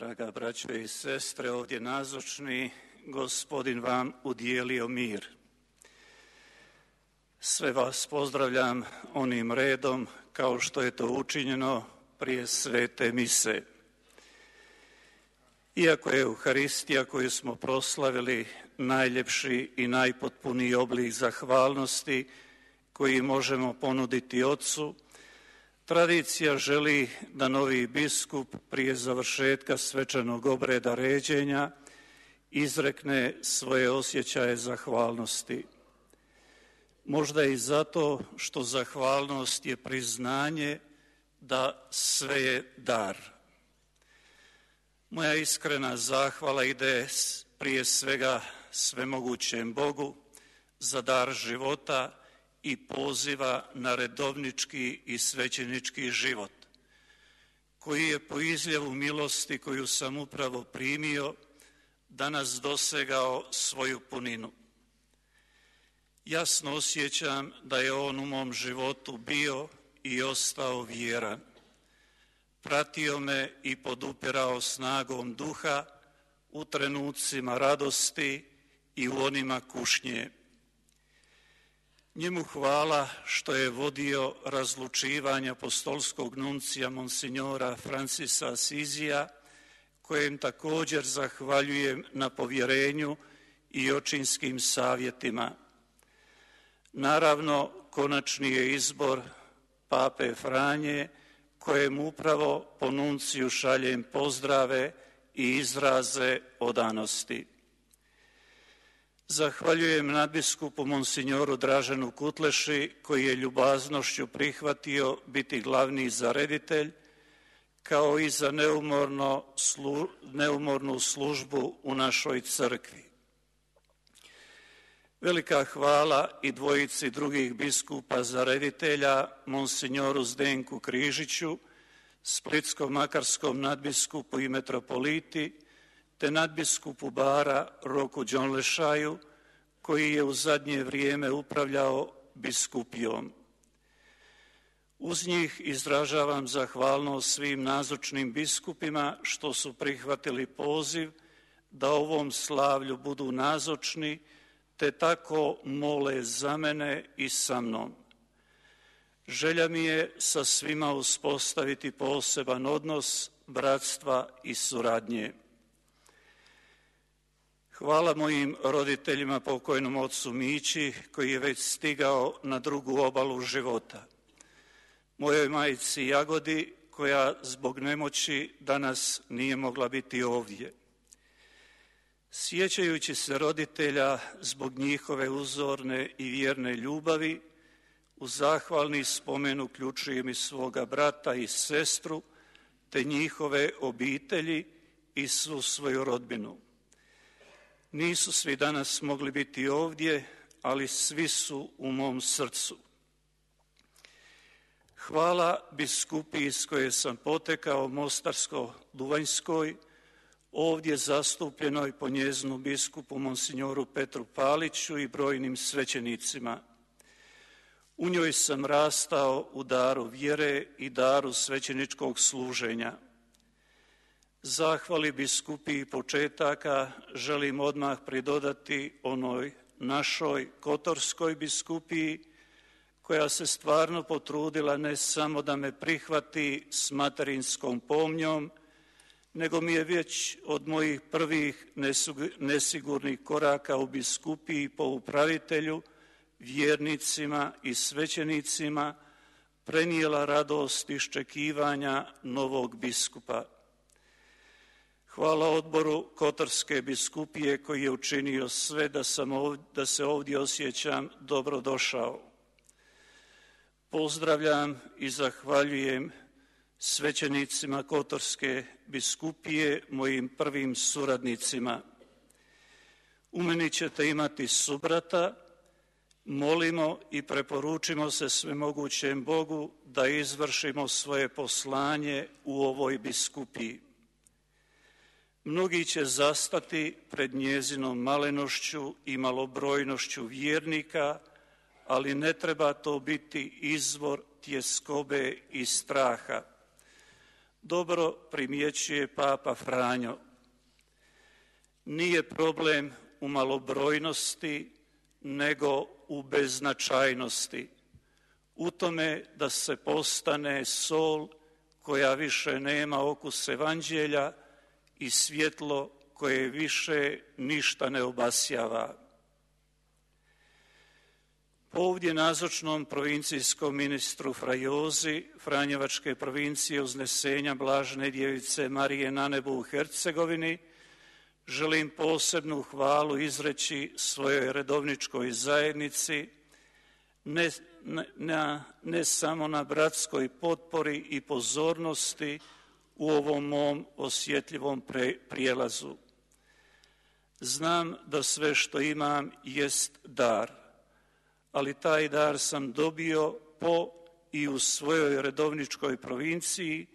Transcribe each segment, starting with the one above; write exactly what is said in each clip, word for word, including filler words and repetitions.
Draga braćo i sestre, ovdje nazočni, Gospodin vam udijelio mir. Sve vas pozdravljam onim redom kao što je to učinjeno prije svete mise. Iako je Euharistija koju smo proslavili najljepši i najpotpuniji oblik zahvalnosti koji možemo ponuditi Otcu, tradicija želi da novi biskup prije završetka svečanog obreda ređenja izrekne svoje osjećaje zahvalnosti. Možda i zato što zahvalnost je priznanje da sve je dar. Moja iskrena zahvala ide prije svega svemogućem Bogu za dar života i poziva na redovnički i svećenički život, koji je po izljevu milosti koju sam upravo primio danas dosegao svoju puninu. Jasno osjećam da je on u mom životu bio i ostao vjeran. Pratio me i podupirao snagom duha u trenucima radosti i u onima kušnje. Njemu hvala što je vodio razlučivanje apostolskog nuncija monsinjora Francisa Asizija, kojem također zahvaljujem na povjerenju i očinskim savjetima. Naravno, konačni je izbor Pape Franje, kojem upravo po nunciju šaljem pozdrave i izraze odanosti. Zahvaljujem nadbiskupu monsinjoru Draženu Kutleši, koji je ljubaznošću prihvatio biti glavni zareditelj, kao i za neumorno, slu, neumornu službu u našoj crkvi. Velika hvala i dvojici drugih biskupa zareditelja, monsinjoru Zdenku Križiću, splitsko-makarskom nadbiskupu i metropoliti, te nadbiskupu Bara Roku Đonlešaju, koji je u zadnje vrijeme upravljao biskupijom. Uz njih izražavam zahvalnost svim nazočnim biskupima što su prihvatili poziv da ovom slavlju budu nazočni, te tako mole za mene i sa mnom. Želja mi je sa svima uspostaviti poseban odnos bratstva i suradnje. Hvala mojim roditeljima, pokojnom ocu Mići, koji je već stigao na drugu obalu života. Mojoj majci Jagodi, koja zbog nemoći danas nije mogla biti ovdje. Sjećajući se roditelja zbog njihove uzorne i vjerne ljubavi, u zahvalni spomen uključujem i svoga brata i sestru, te njihove obitelji i svu svoju rodbinu. Nisu svi danas mogli biti ovdje, ali svi su u mom srcu. Hvala biskupiji iz koje sam potekao, Mostarsko-Duvanjskoj, ovdje zastupljenoj po njezinu biskupu monsinjoru Petru Paliću i brojnim svećenicima. U njoj sam rastao u daru vjere i daru svećeničkog služenja. Zahvali biskupiji početaka želim odmah pridodati onoj našoj kotorskoj biskupiji, koja se stvarno potrudila ne samo da me prihvati s materinskom pomnjom, nego mi je već od mojih prvih nesigurnih koraka u biskupiji po upravitelju, vjernicima i svećenicima prenijela radost iščekivanja novog biskupa. Hvala odboru Kotorske biskupije koji je učinio sve da, sam ovdje, da se ovdje osjećam dobrodošao. Pozdravljam i zahvaljujem svećenicima Kotorske biskupije, mojim prvim suradnicima. U meni ćete imati subrata, molimo i preporučimo se svemogućem Bogu da izvršimo svoje poslanje u ovoj biskupiji. Mnogi će zastati pred njezinom malenošću i malobrojnošću vjernika, ali ne treba to biti izvor tjeskobe i straha. dobro primjećuje Papa Franjo. Nije problem u malobrojnosti, nego u beznačajnosti, u tome da se postane sol koja više nema okus evanđelja i svjetlo koje više ništa ne obasjava. Ovdje nazočnom provincijskom ministru Frajozi Franjevačke provincije Uznesenja Blažene djevice Marije na nebu u Hercegovini želim posebnu hvalu izreći svojoj redovničkoj zajednici, ne, ne, ne samo na bratskoj potpori i pozornosti u ovom mom osjetljivom pre, prijelazu. Znam da sve što imam jest dar, ali taj dar sam dobio po i u svojoj redovničkoj provinciji,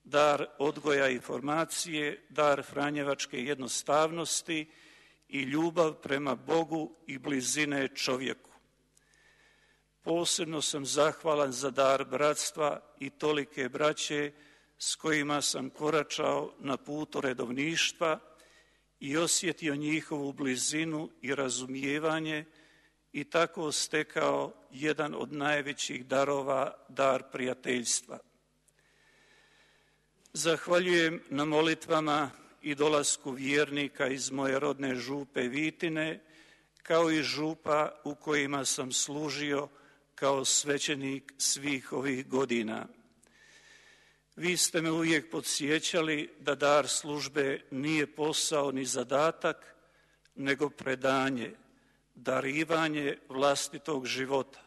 dar odgoja i formacije, dar franjevačke jednostavnosti i ljubav prema Bogu i blizine čovjeku. Posebno sam zahvalan za dar bratstva i tolike braće s kojima sam koračao na putu redovništva i osjetio njihovu blizinu i razumijevanje i tako stekao jedan od najvećih darova, dar prijateljstva. Zahvaljujem na molitvama i dolasku vjernika iz moje rodne župe Vitine, kao i župa u kojima sam služio kao svećenik svih ovih godina. Vi ste me uvijek podsjećali da dar službe nije posao ni zadatak, nego predanje, darivanje vlastitog života,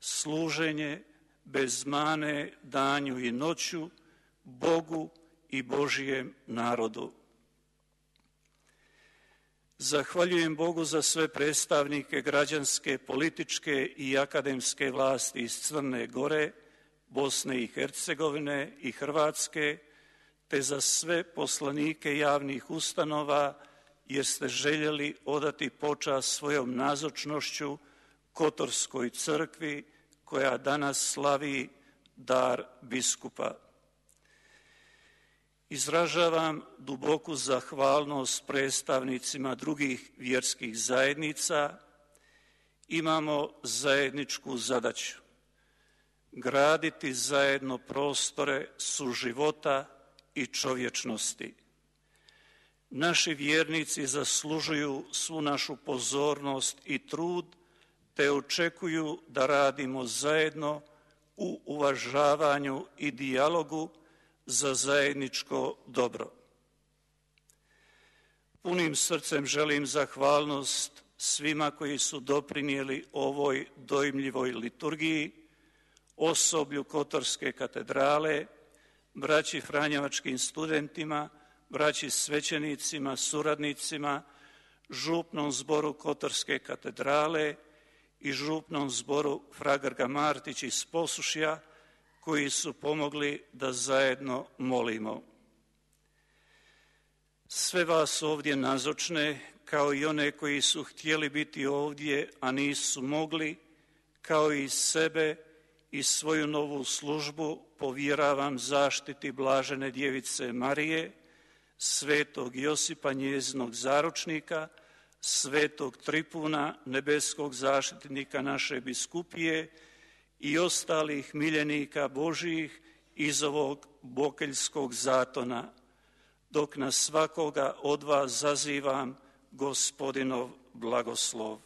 služenje bez mane danju i noću, Bogu i Božijem narodu. Zahvaljujem Bogu za sve predstavnike građanske, političke i akademske vlasti iz Crne Gore, Bosne i Hercegovine i Hrvatske, te za sve poslanike javnih ustanova, jer ste željeli odati počast svojom nazočnošću Kotorskoj crkvi, koja danas slavi dar biskupa. Izražavam duboku zahvalnost predstavnicima drugih vjerskih zajednica. Imamo zajedničku zadaću graditi zajedno prostore suživota i čovječnosti. Naši vjernici zaslužuju svu našu pozornost i trud, te očekuju da radimo zajedno u uvažavanju i dijalogu za zajedničko dobro. Punim srcem želim zahvalnost svima koji su doprinijeli ovoj dojmljivoj liturgiji, osoblju Kotorske katedrale, braći franjevačkim studentima, braći svećenicima, suradnicima, župnom zboru Kotorske katedrale i župnom zboru Fra Grga Martić iz Posušja, koji su pomogli da zajedno molimo. Sve vas ovdje nazočne, kao i one koji su htjeli biti ovdje, a nisu mogli, kao i sebe i svoju novu službu, povjeravam zaštiti Blažene djevice Marije, svetog Josipa njezinog zaručnika, svetog Tripuna, nebeskog zaštitnika naše biskupije i ostalih miljenika Božijih iz ovog bokeljskog zatona, dok na svakoga od vas zazivam Gospodinov blagoslov.